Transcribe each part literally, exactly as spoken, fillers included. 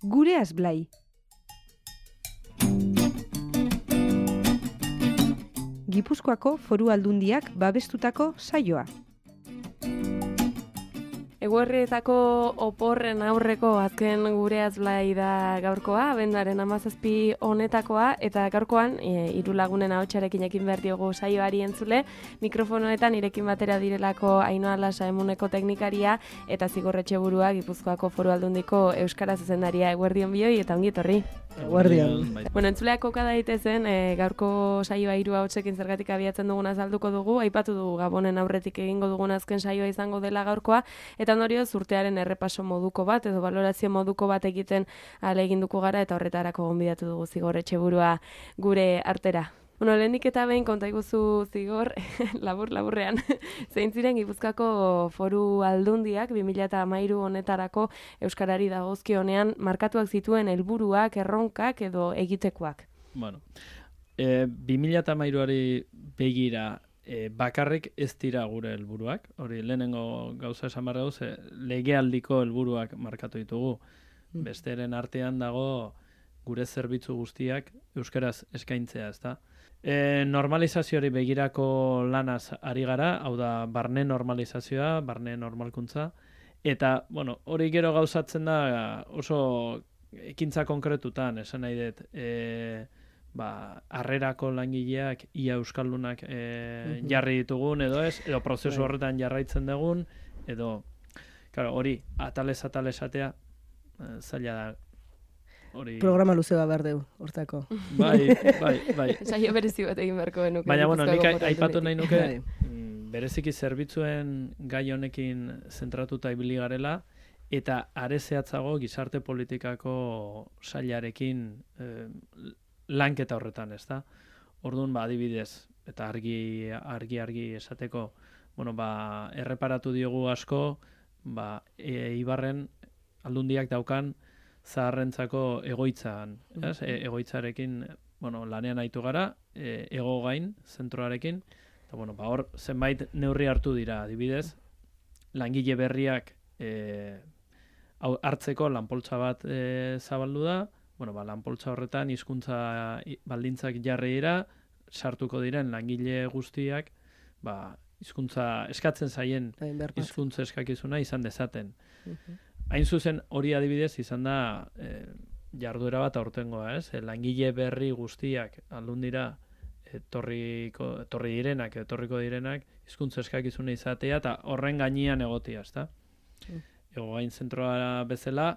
Gure Azblai. Gipuzkoako Foru Aldundiak babestutako saioa. Eguerrietako oporren aurreko azken Gure Azblai da gaurkoa, abenduaren hamazazpi honetakoa, eta gaurkoan e, hiru lagunen ahotsarekin ekin behar diogu saioari entzule, mikrofonoetan irekin batera direlako Ainhoa Lasa Emuneko teknikaria eta Zigor Etxeburua Gipuzkoako Foru Aldundiko euskara zuzendaria. Eguerdion bioi eta ongi etorri. Eguerdion. Bueno, entzuleak koka daitezen, e, gaurko saioa hiru ahotsekin zergatik abiatzen duguna azalduko dugu, aipatu dugu Gabonen aurretik egingo dugun azken saioa izango dela gaurkoa, eta ondorioz urtearen errepaso moduko bat edo valorazio moduko bat egiten ahaleginduko gara eta horretarako gonbidatu dugu Zigor Etxeburua gure artera. Bueno, lehenik eta behin konta iguzu Zigor, labur laburrean, zein ziren Gipuzkoako Foru Aldundiak bi mila hamairu honetarako euskarari dagozkionean markatuak zituen helburuak, erronkak edo egitekoak. Bueno, e, bi mila hamairuari begira E, bakarrik ez dira gure helburuak, hori lehenengo gauza esan behar gauz, e, legealdiko helburuak markatu ditugu. Mm. Besteren artean dago gure zerbitzu guztiak euskaraz eskaintzea, ezta? E, normalizazioari begirako lanaz ari gara, hau da barne normalizazioa, barne normalkuntza, eta bueno, hori gero gauzatzen da oso ekintza konkretutan, esan nahi dut, e, ba, harrerako langileak ia euskaldunak e, jarri ditugun edo ez, edo prozesu horretan jarraitzen dugun, edo, claro, hori, atalez atale esatea, e, zaila da. Hori... Programa luze bat behar dugu, hortako. Bai, bai, bai. Saio berezi bat egin beharko genuke. Baina, bueno, nik aipatu nahi nuke, bereziki zerbitzuen gai honekin zentratuta ibili garela, eta are zehatzago gizarte politikako sailarekin eh, lanketa horretan, ezta? Orduan, ba, adibidez, eta argi, argi, argi esateko, bueno, ba, erreparatu diogu asko, ba, e, Ibarren aldundiak daukan zaharrentzako egoitzan, ez? E, egoitzarekin, bueno, lanean aitu gara, e, ego gain, zentroarekin, eta, bueno, ba, hor, zenbait neurri hartu dira, adibidez, langile berriak e, hartzeko lanpoltsa bat e, zabaldu da, bueno, ba, lanpoltsa horretan hizkuntza baldintzak jarri dira, sartuko diren langile guztiak, ba, hizkuntza eskatzen zaien hizkuntza eskakizuna izan dezaten. Uh-huh. Hain zuzen hori adibidez izan da e, jarduera bat aurtengoa, ez? E, langile berri guztiak aldundira etorriko, etorri direnak, etorriko direnak hizkuntza eskakizuna izatea eta horren gainean egotia, ezta? Uh-huh. Ego gain zentroa bezala,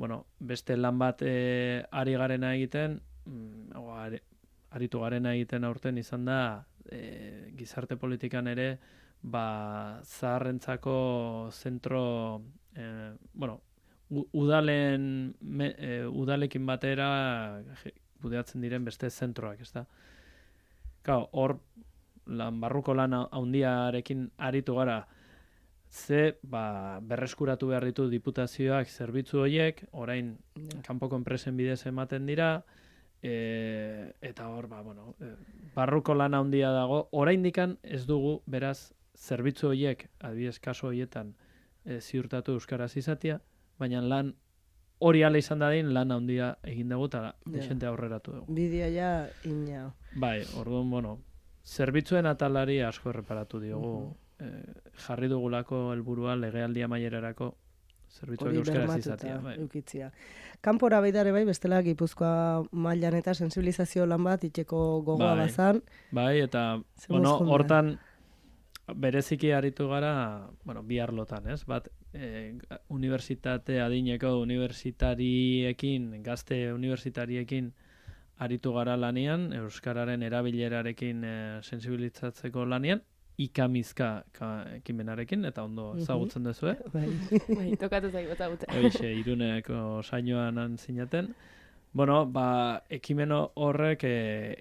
bueno, beste lan bat e, ari garena egiten, mm, ari, aritu garena egiten aurten izan da, e, gizarte politikan ere, ba, zaharrentzako zentro, e, bueno, u, udalen, me, e, udalekin batera kudeatzen diren beste zentroak, ezta? Claro, hor, lan barruko lan handiarekin aritu gara, ze ba, berreskuratu behar ditu diputazioak zerbitzu horiek, orain yeah. kanpoko enpresen bidez ematen dira, e, eta hor, ba, bueno, e, barruko lan handia dago, oraindikan ez dugu, beraz, zerbitzu horiek, adibidez kaso horietan, e, ziurtatu euskaraz izatea, baina lan hori ala izan dadin, lan handia egin dugu eta desente yeah. aurreratu dugu. Bidea ja ina. Bai, orduan, bueno, zerbitzuen atalari asko erreparatu diogu, uh-huh. jarri dugulako helburua legealdi amaierarako zerbitzuak euskaraz izatea. Bai. Eukitzia. Kanpora baidare bai, bestela Gipuzkoa mailan eta sensibilizazio lan bat itxeko gogoa bai. bazan. Bai, eta bueno, hortan bereziki aritu gara, bueno, bi arlotan, ez? Bat, e, unibertsitate adineko unibertsitariekin, gazte unibertsitariekin aritu gara lanean, euskararen erabilerarekin e, sensibilizatzeko lanean, ikamizka ekimenarekin, eta ondo ezagutzen duzu, eh? Bai, tokatu zaigu ezagutzen. Hoixe, Iruneko saioan zinaten. Bueno, ba, ekimen horrek e,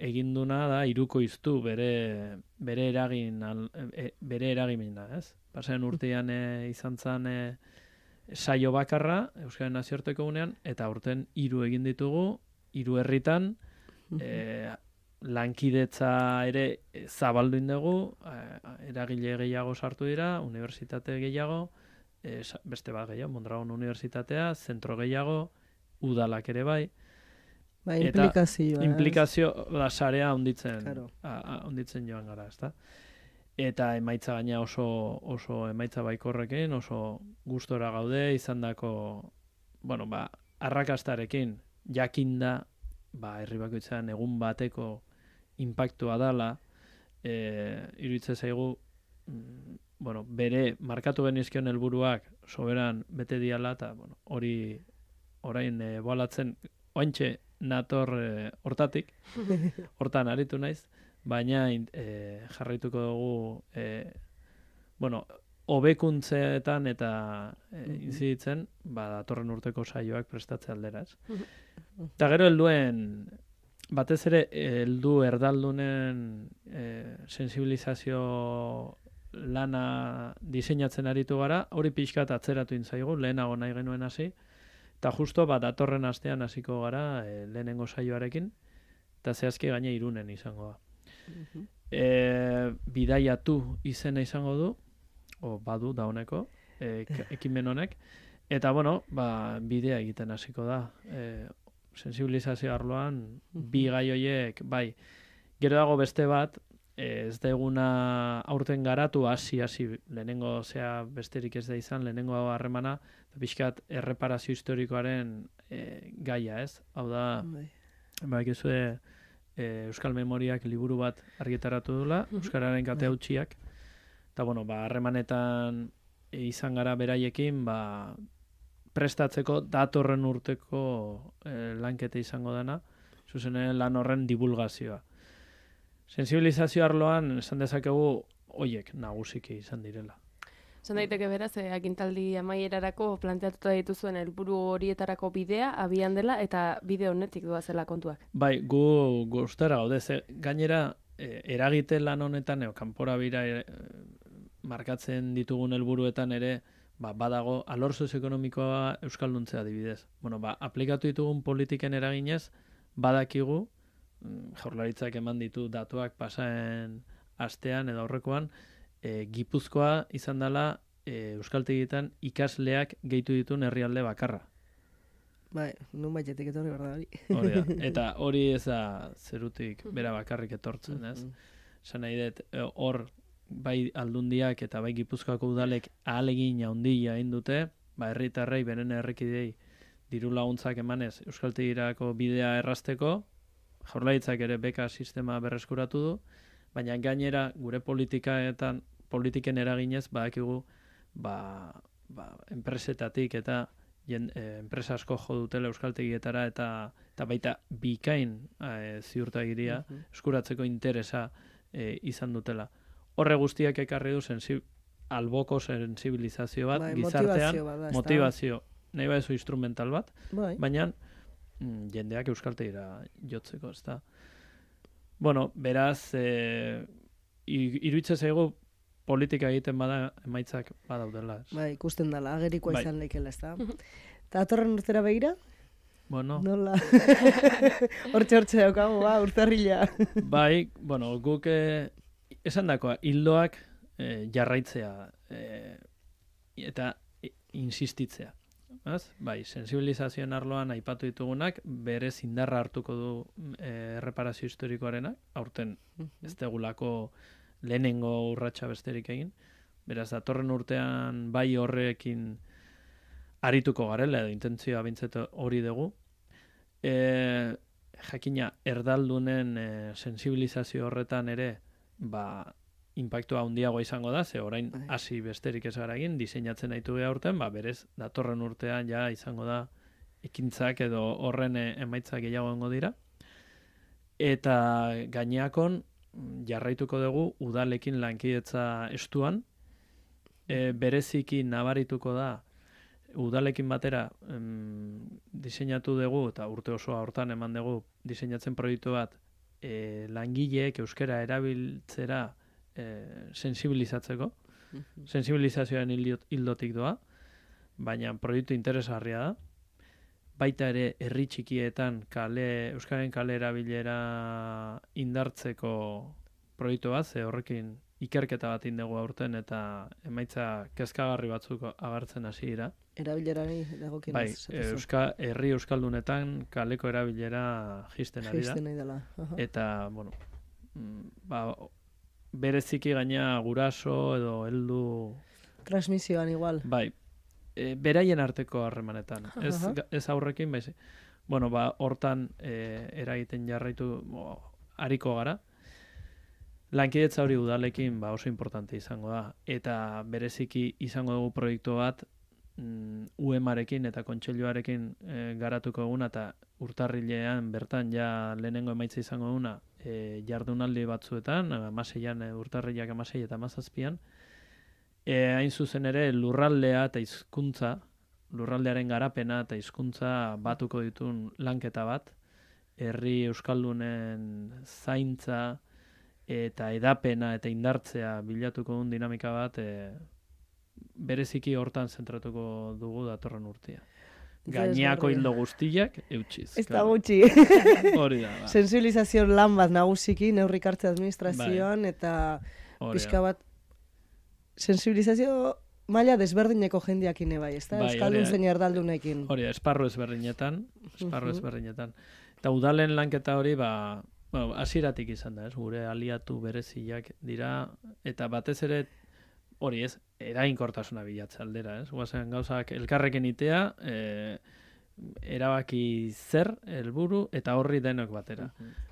eginduna da hirukoiztu bere bere eragin al, e, bere eragimena, ez? Pasen urtean e, izan zen e, saio bakarra Euskaren Nazioarteko Egunean, eta aurten hiru egin ditugu, hiru herritan, e, lankidetza ere zabaldu indugu, eragile gehiago sartu dira, unibertsitate gehiago, e, beste bat gehiago, Mondragon Unibertsitatea, zentro gehiago, udalak ere bai. Ba, implikazioa. Eta implikazio da sarea onditzen, Claro. onditzen joan gara, ezta? Eta emaitza gaina oso, oso emaitza baikorrekin, oso gustora gaude, izandako, bueno, ba, arrakastarekin jakinda, ba, herri bakoitzean egun bateko inpaktua dala, e, iruditzen zaigu, mm, bueno, bere markatu genizkion helburuak soberan bete diala, eta bueno, hori orain e, boalatzen, ointxe nator e, hortatik, hortan aritu naiz, baina e, jarraituko dugu, e, bueno, hobekuntzeetan eta e, inziditzen, ba, datorren urteko saioak prestatze aldera, ez? Eta gero helduen, batez ere, heldu erdaldunen e, sensibilizazio lana diseinatzen aritu gara, hori pixkat atzeratu intzaigu, lehenago nahi genuen hasi, eta justo bat datorren astean hasiko gara e, lehenengo saioarekin, eta zehazki gaine Irunen izango da. E, bidaiatu izena izango du, o badu dauneko, e, ekimen honek, eta bueno, ba, bidea egiten hasiko da. E, sensibilizazio arloan, bi gai horiek, bai, gero dago beste bat, ez da eguna aurten garatu, hasi hasi lehenengo zea besterik ez da izan, lehenengo harremana, eta pixkat erreparazio historikoaren e, gaia, ez? Hau da, ba, ekizue, e, Euskal Memoriak liburu bat argitaratu dula, Euskararen kate hautsiak, eta bueno, ba, harremanetan e, izan gara beraiekin, ba, prestatzeko datorren urteko e, lankete izango dena, zuzenen lan horren divulgazioa. Sensibilizazio arloan, esan dezakegu, oiek nagusiki izan direla. Esan daiteke beraz, eh, agintaldi amaierarako planteatuta dituzuen helburu horietarako bidea, abian dela, eta bide honetik doazela kontuak. Bai, gu gustara gaude, ze gainera, eh, eragite lan honetan, eo, kanpora bira eh, markatzen ditugun helburuetan ere, ba, badago, alor sozioekonomikoa euskalduntzea adibidez. Bueno, ba, aplikatu ditugun politiken eraginez, badakigu, Jaurlaritzak eman ditu datuak pasaen astean edo aurrekoan, e, Gipuzkoa izan dela e, euskaltegietan ikasleak gehitu dituen herrialde bakarra. Bai, nun baitetik etorri behar da hori. Hori da. Eta hori ez da zerutik bera bakarrik etortzen, ez? Esan nahi dut, hor bai aldundiak eta bai Gipuzkoako udalek ahalegin handia egin dute, ba, herritarrei beren herrikidei diru laguntzak emanez euskaltegirako bidea errazteko, Jaurlaritzak ere beka sistema berreskuratu du, baina gainera gure politikaetan, politiken eraginez, badakigu, ba, ba, enpresetatik eta jen, e, enpresa asko jo dutela euskaltegietara eta, eta baita bikain e, ziurtagiria uh -huh. eskuratzeko interesa e, izan dutela. Horre guztiak ekarri du sensib, alboko sensibilizazio bat, bai, gizartean, motivazio, bada, motivazio, nahi baizu instrumental bat, bai. baina jendeak euskaltegira jotzeko, ez da. Bueno, beraz, e, iruditzen zaigu politika egiten bada emaitzak badaudela. Ez. Bai, ikusten dela, agerikoa bai. izan leikela, ez da. Eta atorren urtera begira? Bueno. Nola? Hortxe hortxe daukagu, ba, urtarrila. Bai, bueno, guk e, esan dakoa, hildoak e, jarraitzea e, eta e, insistitzea. Az? Bai, sensibilizazioen arloan aipatu ditugunak, berez indarra hartuko du e, erreparazio historikoarenak, aurten ez degulako lehenengo urratsa besterik egin, beraz, datorren urtean bai horrekin arituko garela, edo intentzioa bintzet hori dugu. E, jakina, erdaldunen e, sensibilizazio horretan ere, ba, inpaktua handiagoa izango da, ze orain hasi besterik ez gara egin, diseinatzen ditu geha urten, ba, berez, datorren urtean ja izango da ekintzak edo horren emaitzak gehiago egongo dira. Eta gaineakon jarraituko dugu udalekin lankidetza estuan, e, bereziki nabarituko da udalekin batera em, diseinatu dugu, eta urte osoa hortan eman dugu diseinatzen proiektu bat, e, langileek euskara erabiltzera E, sensibilizatzeko, uh-huh. sensibilizazioaren hildotik doa, baina proiektu interesgarria da. Baita ere herri txikietan kale, euskaren kale erabilera indartzeko proiektu bat, ze horrekin ikerketa bat indegu aurten eta emaitza kezkagarri batzuk agertzen hasi dira. Erabilerari dagokionez. Bai, euska, herri euskaldunetan kaleko erabilera jisten ari da. Jisten nahi dela. Eta, bueno, ba, bereziki gaina guraso edo heldu... Transmisioan igual. Bai, e, beraien arteko harremanetan. Ez, ez aurrekin, bai, bueno, ba, hortan e, eragiten jarraitu bo, ariko gara. Lankidetza hori udalekin ba, oso importante izango da. Eta bereziki izango dugu proiektu bat mm, U E M-arekin eta kontseiluarekin e, garatuko eguna eta urtarrilean bertan ja lehenengo emaitza izango eguna e, jardunaldi batzuetan, amaseian e, urtarrilak amasei eta amazazpian, e, hain zuzen ere lurraldea eta hizkuntza, lurraldearen garapena eta hizkuntza batuko ditun lanketa bat, herri euskaldunen zaintza eta edapena eta indartzea bilatuko duen dinamika bat e, bereziki hortan zentratuko dugu datorren urtea. Gaineako hildo guztiak eutxiz. Ez da gutxi. Hori da. Ba. Sensibilizazio lan bat nagusiki, neurrik hartze administrazioan, bai. Eta pixka bat sensibilizazio maila desberdineko jendeakin bai, ez da? Bai, euskaldun zein erdaldunekin. Hori, esparru ezberdinetan, esparru ezberdinetan. Eta udalen lanketa hori, ba, bueno, hasieratik izan da, ez? Gure aliatu bereziak dira, eta batez ere, hori ez, eraginkortasuna bilatze aldera, ez? Guazen gauzak elkarrekin itea, e, erabaki zer, helburu eta horri denok batera. Uh-huh.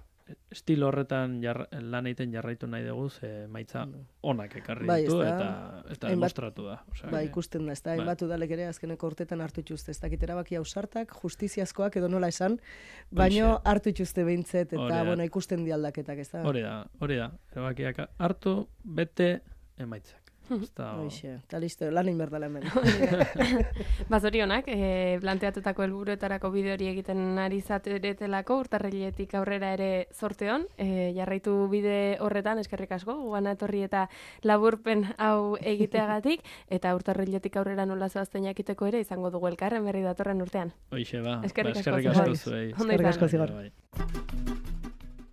Estilo horretan jar, lan egiten jarraitu nahi dugu, ze maitza onak ekarri bai, ditu eta, eta demostratu da. Osea, bai, ikusten da, ez da, hainbat udalek ere azkeneko urtetan hartu ituzte, ez dakit erabaki ausartak, justiziazkoak edo nola esan, baino hartu ituzte behintzet, eta bueno, ikusten di aldaketak, ez da? Hori da, hori da, erabakiak hartu, bete, emaitzak. Hoxe, eta listo, lan inberdala hemen. Bazorionak, e, planteatutako helburuetarako bide hori egiten ari zateretelako, urtarriletik aurrera ere zorteon, e, jarraitu bide horretan, eskerrik asko, guana etorri eta laburpen hau egiteagatik, eta urtarriletik aurrera nola zoazten jakiteko ere izango dugu elkarren berri datorren urtean. Hoxe, ba, eskerrik ba, eskerrik asko zuei. Eskerrik asko zigor.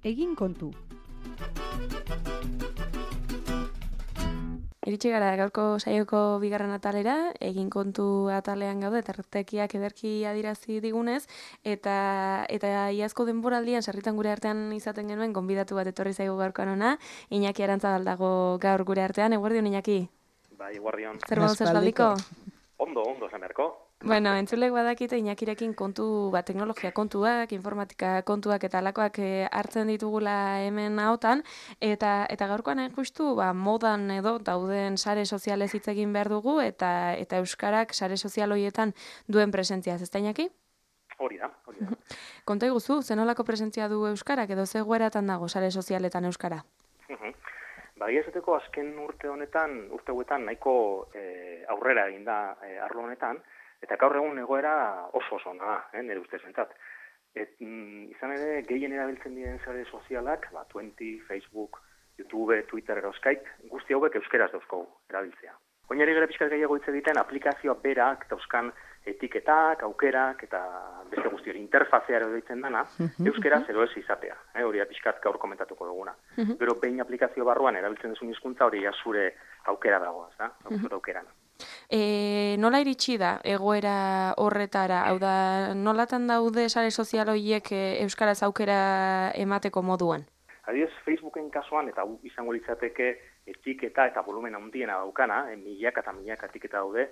Egin kontu. Iritsi gara gaurko saioko bigarren atalera, egin kontu atalean gaude, eta ertekiak ederki adirazi digunez, eta eta iazko denboraldian sarritan gure artean izaten genuen, gonbidatu bat etorri zaigu gaurkoan ona, Iñaki Arantzabal dago gaur gure artean, eguerdion Iñaki? Bai, eguerdion. Zer gauz espaldiko? Ondo, ondo, zemerko. Bueno, entzulek badakite Iñakirekin kontu, ba, teknologia kontuak, informatika kontuak eta alakoak e, hartzen ditugula hemen ahotan, eta eta gaurkoan hain justu, ba, modan edo dauden sare sozialez hitz egin behar dugu, eta eta euskarak sare sozial horietan duen presentziaz, ez da Iñaki? Hori da, hori da. Konta iguzu, zenolako presentzia du euskarak edo ze egoeratan dago sare sozialetan euskara? Ba, esateko azken urte honetan, urte hauetan nahiko e, aurrera egin da e, arlo honetan, eta gaur egun egoera oso oso ona da, eh, nire ustez bentzat. Et, mm, izan ere, gehien erabiltzen diren sare sozialak, ba, Twenty, Facebook, YouTube, Twitter, edo Skype, guzti hauek euskeraz dauzkogu erabiltzea. Oinari gara pixkat gehiago hitz egiten aplikazioa berak dauzkan etiketak, aukerak eta beste guzti hori interfazea ero deitzen dana, euskeraz edo ez izatea. Eh, hori pixkat gaur komentatuko duguna. Gero behin aplikazio barruan erabiltzen duzun hizkuntza hori ja zure aukera dago, ez da? Zure aukerana. E, nola iritsi da egoera horretara? Hau da, nolatan daude sare sozial horiek euskaraz aukera emateko moduan? Adibidez, Facebooken kasuan, eta izango litzateke etiketa eta volumen handiena daukana, eh, milaka eta milaka etiketa daude,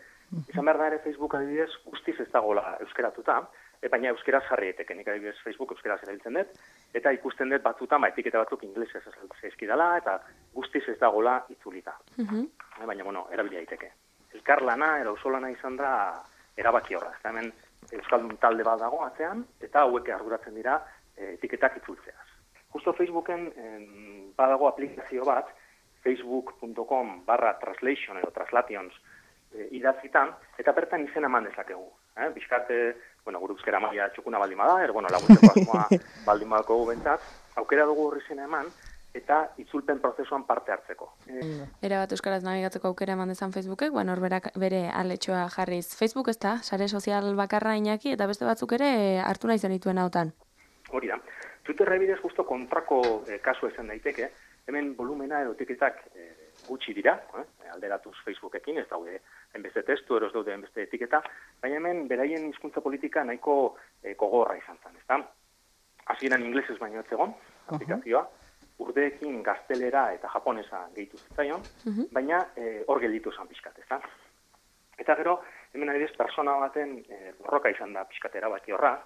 izan behar da ere Facebook adibidez guztiz ez dagoela euskeratuta, e, baina euskeraz jarri eteke, nik adibidez Facebook euskeraz erabiltzen dut, eta ikusten dut batzutan, ba, etiketa batzuk inglesez zaizkidala, eta guztiz ez dagoela itzulita. Uh-huh. e, baina, bueno, erabili daiteke. Elkarlana, era ausolana izan da erabaki horra. Eta hemen euskaldun talde bat dago atzean, eta hauek arduratzen dira e, etiketak itzultzeaz. Justo Facebooken en, badago aplikazio bat, facebook punto com barra translation edo translations e, idazitan, eta bertan izena eman dezakegu. Eh? Bizkate, bueno, gure euskera maila txukuna baldin bada, er, bueno, laguntzeko asmoa baldin badako bentzat, aukera dugu horri izena eman, eta itzulpen prozesuan parte hartzeko. Era bat euskaraz nabigatzeko aukera eman dezan Facebookek, bueno, horberak bere aletxoa jarriz. Facebook ez da, sare sozial bakarra Iñaki, eta beste batzuk ere hartu nahi zenituen hautan. Hori da. Twitterra bidez justo kontrako eh, kasu esan daiteke, hemen volumena edo etiketak eh, gutxi dira, eh? alderatuz Facebookekin, ez daude enbeste testu, eros daude enbeste etiketa, baina hemen beraien hizkuntza politika nahiko eh, gogorra izan zen, ezta? Hasieran inglesez baino ez egon, aplikazioa, urdeekin gaztelera eta japonesa gehitu zitzaion, uh-huh. baina eh, hor gelditu zen pixkat, ezta? Eta gero, hemen adibidez, persona baten eh, borroka izan da pixkatera baki horra,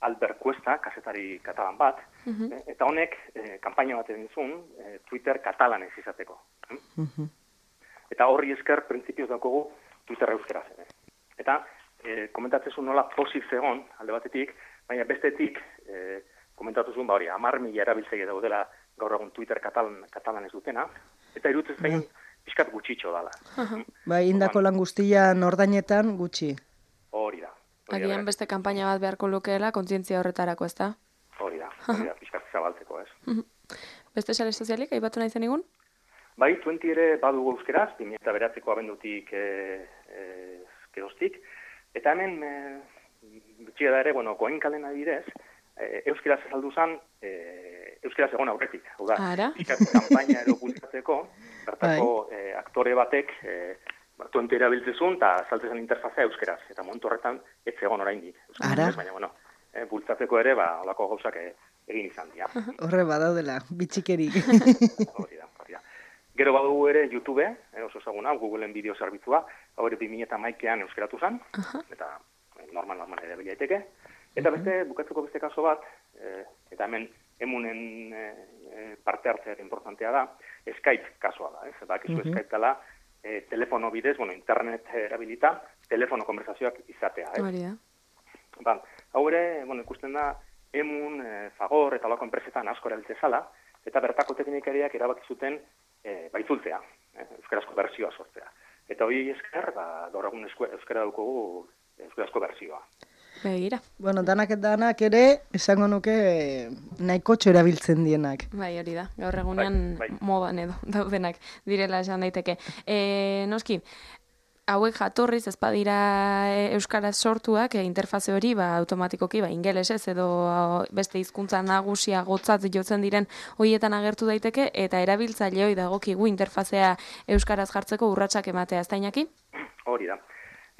Albert Cuesta, kazetari katalan bat, uh-huh. eh, eta honek eh, kanpaina bat egin zuen eh, Twitter katalanez izateko. Uh-huh. Eta horri esker printzipioz daukogu Twitter euskeraz ere. Eta eh, komentatzen zuen nola pozik zegon, alde batetik, baina bestetik eh, komentatu zuen, ba hori, amar mila erabiltzaile daudela gaur egun Twitter katalan, katalanez dutena, eta irutzen zain uh-huh. pixkat gutxitxo dala. Uh-huh. Bai, indako lan guztian ordainetan gutxi. Hori da. Agian beste kanpaina bat beharko lukeela, kontzientzia horretarako, ez da? Hori da, hori da, pixkat zabaltzeko, ez. Beste sare sozialik, aipatu nahi zen egun? Bai, Twenty ere badugu euskeraz, bi mila bederatziko abendutik e, e, geroztik, eta hemen, e, bitxia da ere, bueno, goenkalen adibidez, e, euskeraz azaldu zen, e, euskeraz egon aurretik, hau da, pixkat kanpaina ero bultatzeko, bertako e, aktore batek, e, Twenty erabiltzezun, eta saltzezen interfazea euskeraz, eta momentu horretan ez egon oraindik. Ara? Baina, bueno, e, bultzatzeko ere, ba, olako gauzak e, egin izan dira. Horre badaudela, bitxikerik. Hori da, hori da. Gero badugu ere YouTube, eh, oso ezaguna, Googleen bideo zerbitzua, hau ere bi mila hamaikean euskeratu zen, uh-huh. eta eh, normal normal ere bilaiteke. Eta beste, bukatzeko beste kaso bat, eh, eta hemen emunen eh, parte hartzea importantea da, Skype kasoa da, ez? Eta akizu uh-huh. Skype dela, E, telefono bidez, bueno, internet erabilita, telefono konversazioak izatea. Eh? Hori da. Ba, hau ere, bueno, ikusten da, emun, e, Fagor eta olako enpresetan asko erabiltze zala, eta bertako teknikariak erabaki zuten e, baitzultzea, eh? euskarazko bertsioa sortzea. Eta hori esker, ba, gaur egun euskara daukogu euskarazko bertsioa. Begira. Bueno, danak eta danak ere, esango nuke nahikotxo erabiltzen dienak. Bai, hori da. Gaur egunean bai, bai. modan edo daudenak direla esan daiteke. E, noski, hauek jatorriz ez badira euskaraz sortuak, e, interfaze hori ba, automatikoki ba, ingelesez edo beste hizkuntza nagusia gotzat jotzen diren horietan agertu daiteke, eta erabiltzaileoi dagokigu interfazea euskaraz jartzeko urratsak ematea, ez da Iñaki? Hori da.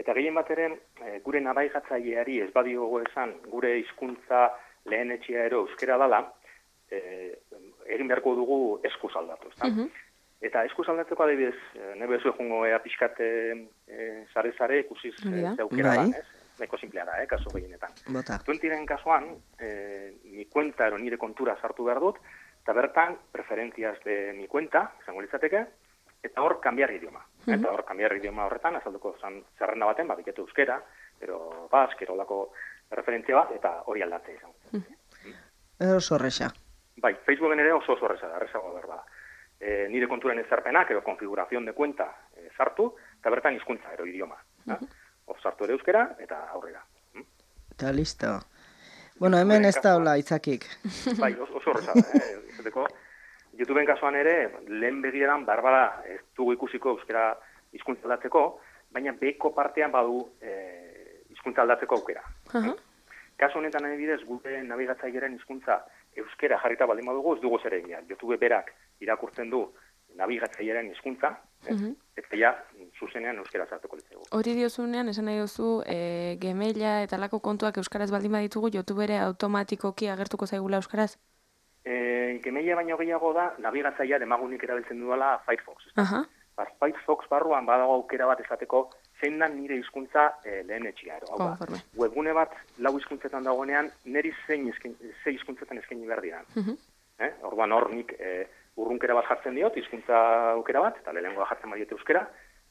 Eta gehien bat ere, e, gure nabigatzaileari ez badiogo esan, gure hizkuntza lehenetxea ero euskera dala, e, egin beharko dugu eskuz aldatu, ezta? Uh-huh. Eta eskuz aldatzeko adibidez, e, nebe zu egungo ea pixkat sare-sare e, ikusiz e, zeukera da, ez? Neko simplea da, eh, kaso gehienetan. Twentyren kasuan, e, mi kuenta ero nire kontura sartu behar dut, eta bertan, preferentziaz de mi kuenta, izango litzateke, eta hor, kambiar idioma. Uh-huh. Eta hor, kambiar idioma horretan, azalduko zan zerrenda baten, ba, biketu euskera, pero bask, erolako referentzia bat, eta hori aldatzea izan. Uh-huh. Oso horreza. Bai, Facebooken ere oso oso horreza da, horrezago berba. E, nire konturen ezarpenak, edo konfigurazion de cuenta e, sartu, eta bertan hizkuntza ero idioma. Uh-huh. Hor sartu ere euskera, eta aurrera. Hmm? Eta listo. Bueno, hemen ez da hola itzakik. Bai, oso horreza da, eh? Izateko, YouTubeen kasuan ere, lehen begieran barbara ez dugu ikusiko euskera hizkuntza aldatzeko, baina beko partean badu eh, hizkuntza aldatzeko aukera. Uh-huh. Kasu honetan adibidez, gure nabigatzaileren hizkuntza euskera jarrita baldin badugu, ez dugu zer egia. YouTube berak irakurtzen du nabigatzaileren hizkuntza, uh-huh. eta ja, zuzenean euskera sartuko litzegu. Hori diozunean, esan nahi duzu, e, Gmaila eta lako kontuak euskaraz baldin baditugu, YouTube ere automatikoki agertuko zaigula euskaraz? E, Gmaila baino gehiago da, nabigatzailea demagunik erabiltzen duela Firefox. Uh-huh. Ba, Firefox barruan badago aukera bat esateko zein da nire hizkuntza e, lehen etxia. Konforme. Webgune bat lau hizkuntzetan dagoenean, niri zein ze hizkuntzetan eskaini behar diran. Uh-huh. Eh? Orduan hor nik e, urrunkera bat jartzen diot, hizkuntza aukera bat, eta lehenengoa jartzen badiete euskera,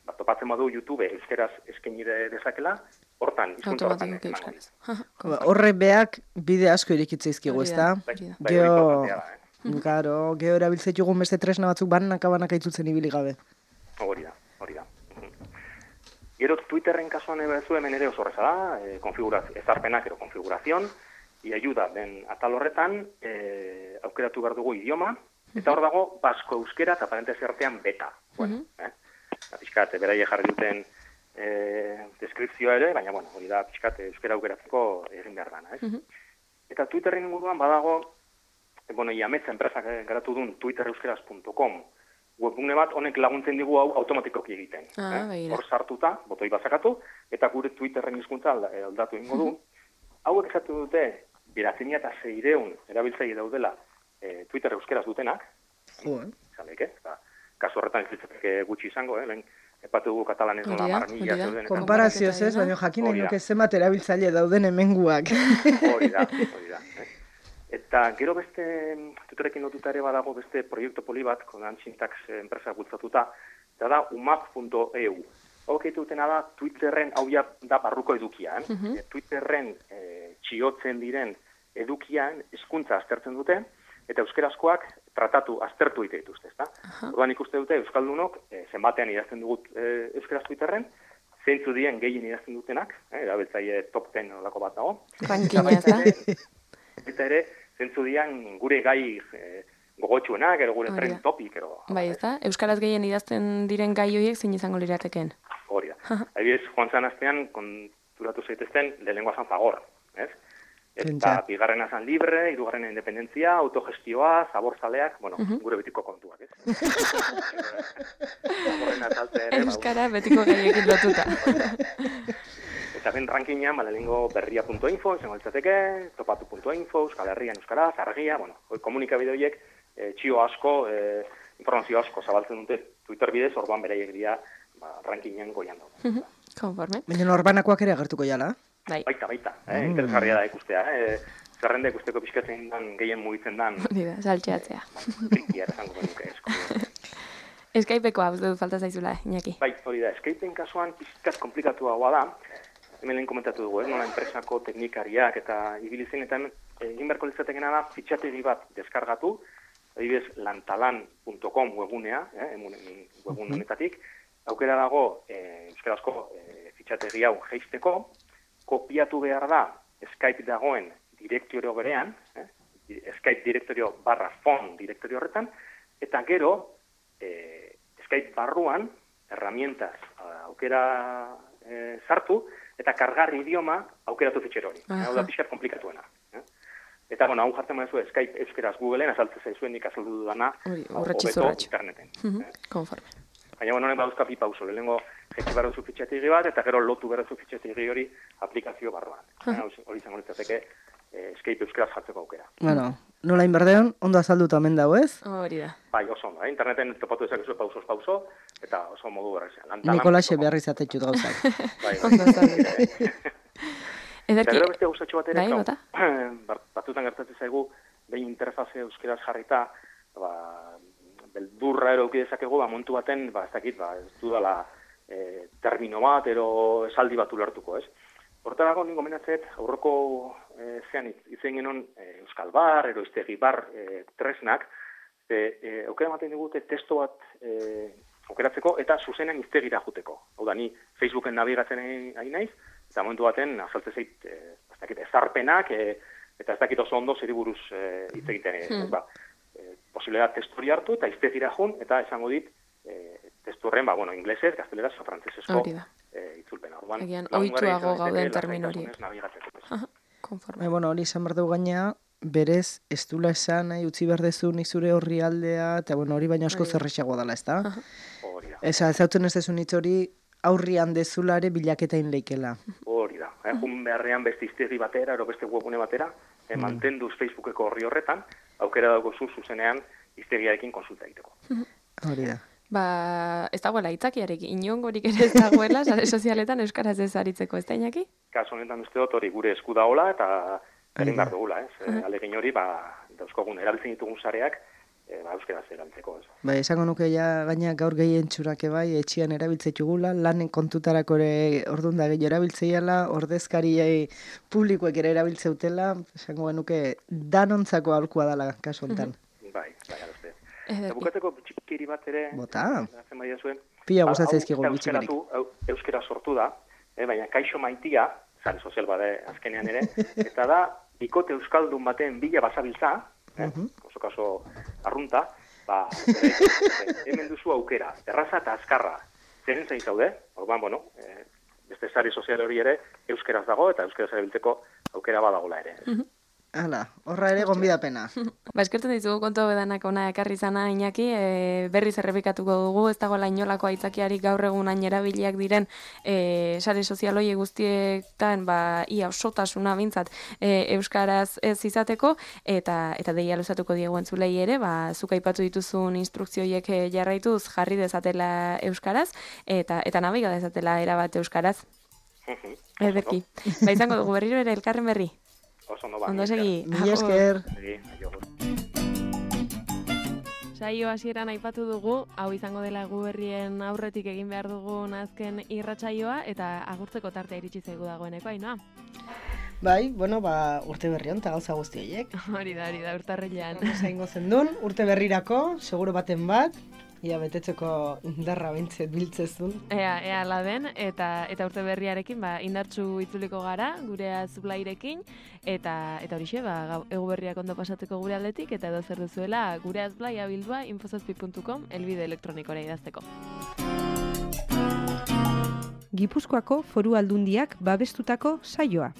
bat topatzen badu YouTube euskeraz eskaini dezakela, hortan hizkuntza hortan emango. Horre beak bide asko irikitzeizkigu, ez da? Geo... Gero, geo erabiltzetugun beste tresna batzuk banaka-banaka itzutzen ibili gabe. Hori da, hori da. Gero, Twitterren kasuan ebezu hemen ere oso horreza da, e, ezarpenak ero konfigurazion, i ayuda den atal horretan, e, aukeratu behar dugu idioma, eta hor dago, basko euskera eta parentesi artean beta. Bueno, eh? Piskat, beraie jarri duten e, deskripzioa ere, baina, bueno, hori da, piskat, euskera aukeratzeko egin behar dana, ez? Eta Twitterren inguruan badago, bueno, iametza enpresak garatu duen twitter euskeraz punto com webgune bat honek laguntzen digu hau automatikoki egiten. Ah, eh? Hor sartuta, botoi bazakatu, eta gure Twitterren hizkuntza aldatu ingo du. Hauek esatu dute, bederatzi mila seiehun erabiltzaile daudela e, Twitter euskeraz dutenak. Jo, eh? Zalek, eh? Kasu horretan ez litzateke gutxi izango, eh? Lehen epatu dugu katalanez nola marmila zeuden. Konparazioz ez, baina jakin nahi nuke zenbat erabiltzaile dauden hemenguak. Hori da, hori da. Eh? Eta gero beste, Twitterrekin lotuta ere badago beste proiektu poli bat, konan Syntax enpresa bultzatuta, eta da umap punto e u. Hau dutena da, Twitterren, hau da barruko edukia, eh? Uh-huh. Twitterren eh, txiotzen diren edukian hizkuntza aztertzen dute, eta euskerazkoak tratatu, aztertu egite dituzte, ezta? Uh-huh. Orduan ikuste dute, euskaldunok, eh, zenbatean idazten dugut eh, euskeraz Twitterren, zeintzu dien gehien idazten dutenak, eh, erabiltzaile top ten olako bat dago. Rankina, ezta? Eta ere, zentzu dian gure gai e, gogotxuenak, ero gure tren topik, ero... Bai, ez da? Euskaraz gehien idazten diren gai horiek zein izango lirateken? Hori da. Adibidez, joan zan astean, konturatu zaitezten, lehenengoa zan Fagor, ez? Eta bigarrena zan libre, hirugarrena independentzia, autogestioa, zaborzaleak, bueno, uh-huh. gure betiko kontuak, ez? Euskara betiko gaiekin lotuta. Eta ben rankingean, ba, lehenengo berria punto info, izango litzateke, topatu punto info, Euskal Herrian Euskaraz, argia, bueno, komunikabide horiek, e, txio asko, e, informazio asko zabaltzen dute Twitter bidez, orduan beraiek dira, ba, rankingean goian dago. Konforme. Baina norbanakoak ere agertuko jala? Bai. Baita, baita, eh, mm. interesgarria da ikustea, eh, zerrenda ikusteko pixkatzen dan, gehien mugitzen dan. Dira, saltxeatzea. Trikia esango benuke esko. Skypeko hau dut falta zaizula, Iñaki. Bai, hori da, Skypeen kasuan pixkat komplikatuagoa da, hemen lehen komentatu dugu, eh? Nola enpresako teknikariak eta ibilizen, eta egin beharko litzatekena da fitxategi bat deskargatu, adibidez lantalan punto com webgunea, eh? webgun honetatik, aukera dago eh, euskarazko eh, fitxategi hau jeisteko, kopiatu behar da Skype dagoen direktorio berean, eh? Skype direktorio barra fon direktorio horretan, eta gero eh, Skype barruan, herramientas aukera eh, sartu, eta kargarri idioma aukeratu fitxero hori. Hau da pixkat komplikatuena. Eh? Eta, bueno, hau jartzen madezu Skype euskeraz Googleen, azaltzen zaizuen nik azaldu dudana, hobeto interneten. Uh-huh. eh? Konforme. Baina, bueno, honek baduzka bi pauso. Lehenengo jetzi barrozu fitxategi bat, eta gero lotu barrozu fitxategi hori aplikazio barruan. Uh-huh. eh? Hori izango litzateke eh, Skype euskeraz jartzeko aukera. Bueno, nola inberdeon, ondo azalduta hemen dago, ez? Hori da. Bai, oso ondo. Eh? Interneten topatu dezakezu pausos pauso, eta oso modu berrezean. Nikolaxe behar izatetxut gauzak. Bai, bai. Eta gero beste guztatxo bat ere, bai, batzutan gertatzen zaigu, behin interfaze euskeraz jarrita, ba, beldurra ero ukidezakegu, ba, montu baten, ba, ez dakit, ba, ez dudala e, termino bat, ero esaldi bat ulertuko, ez? Hortarago, ningo menatzet, aurroko e, zean itzen genon e, Euskal Bar, ero iztegi bar e, tresnak, e, e, aukera maten digute testo bat e, aukeratzeko eta zuzenean iztegira juteko. Hau da, ni Facebooken nabigatzen ari naiz, eta momentu baten azaltze zait, e, ez dakit, ezarpenak, e, eta ez dakit oso ondo zeri buruz e, hitz egiten. Hmm. Ba, e, posible da testori hartu eta iztegira jun, eta esango dit, e, testurren, ba, bueno, inglesez, gazteleraz, o frantzesezko e, itzulpena. Orduan, egian, oituago gauden termin hori. Konforme. Bueno, hori izan behar dugu gaina, berez, ez dula esan, nahi, utzi behar dezu nik zure horri aldea, eta bueno, hori baina asko zerrexago dela, ez da? Hori da. Eza, ez hauten ez dezun hitz hori, aurrian dezulare bilaketain leikela. Hori da. Eh, jun beharrean beste iztegi batera, ero beste webune batera, eh, mm. mantenduz Facebookeko horri horretan, aukera dago zu zuzenean iztegiarekin konsulta egiteko. Hori da. Ba, ez dagoela itzakiarekin, inongorik ere ez dagoela, sare sozialetan euskaraz ez aritzeko, ez da, Iñaki? Kaso honetan uste dut hori gure esku dagoela, eta egin behar dugula, ez? Uh -huh. Alegin hori, ba, dauzkogun erabiltzen ditugun sareak, e, ba, euskaraz erabiltzeko, ez? Ba, esango nuke ja, gaina gaur gehien txurake bai, etxian erabiltzetugula, lanen kontutarako ere ordun da gehiago erabiltzeiala, ordezkari publikoek ere erabiltzeutela, esango nuke danontzako aholkua dela kasu honetan. Uh -huh. Bai, bai, aluzte. Eta bukatzeko bitxikiri bat ere, bota, zuen, pila gustatzen ezkigu bitxikirik. Euskera sortu da, eh, baina kaixo maitia, sare sozial bade azkenean ere, eta da, bikote euskaldun baten bila basabiltza, eh, uh -huh. oso kaso arrunta, ba, ere, hemen duzu aukera, erraza eta azkarra, zeren zain zaude, orduan, bueno, eh, beste sare sozial hori ere, euskeraz dago, eta euskeraz erabiltzeko aukera badagola ere. Uh -huh. Hala, horra ere gonbidapena. Ba, eskertzen dizugu kontu bedanak ona ekarri zana, Iñaki, e, berriz errepikatuko dugu, ez dagoela inolako aitzakiarik gaur egun hain erabiliak diren e, sare sozialoi guztietan, ba, ia osotasuna bintzat e, euskaraz ez izateko, eta eta deia luzatuko diegu entzulei ere, ba, zuk aipatu dituzun instrukzioiek jarraituz jarri dezatela euskaraz, eta eta nabiga dezatela erabat euskaraz. Ederki. Ba, izango dugu berriro ere elkarren berri. Oso ondo ba. Ondo segi. Mila esker. Saio hasieran aipatu dugu, hau izango dela gu berrien aurretik egin behar dugun azken irratsaioa eta agurtzeko tartea iritsi zaigu dagoeneko, Ainoa. Bai, bueno, ba, urte berri hon, eta gauza guzti horiek. Hori da, hori da, urtarrilean. Zaingo zendun, urte berrirako, seguro baten bat, ia betetzeko indarra bintzet biltzezun. Ea, ea la den, eta eta urte berriarekin ba, indartsu itzuliko gara, gure azblairekin, eta eta horixe, ba, egu berriak ondo pasateko gure aldetik, eta edo zer duzuela gure azblaia bildua infozazpi puntu com elbide elektronikora idazteko. Gipuzkoako Foru Aldundiak babestutako saioa.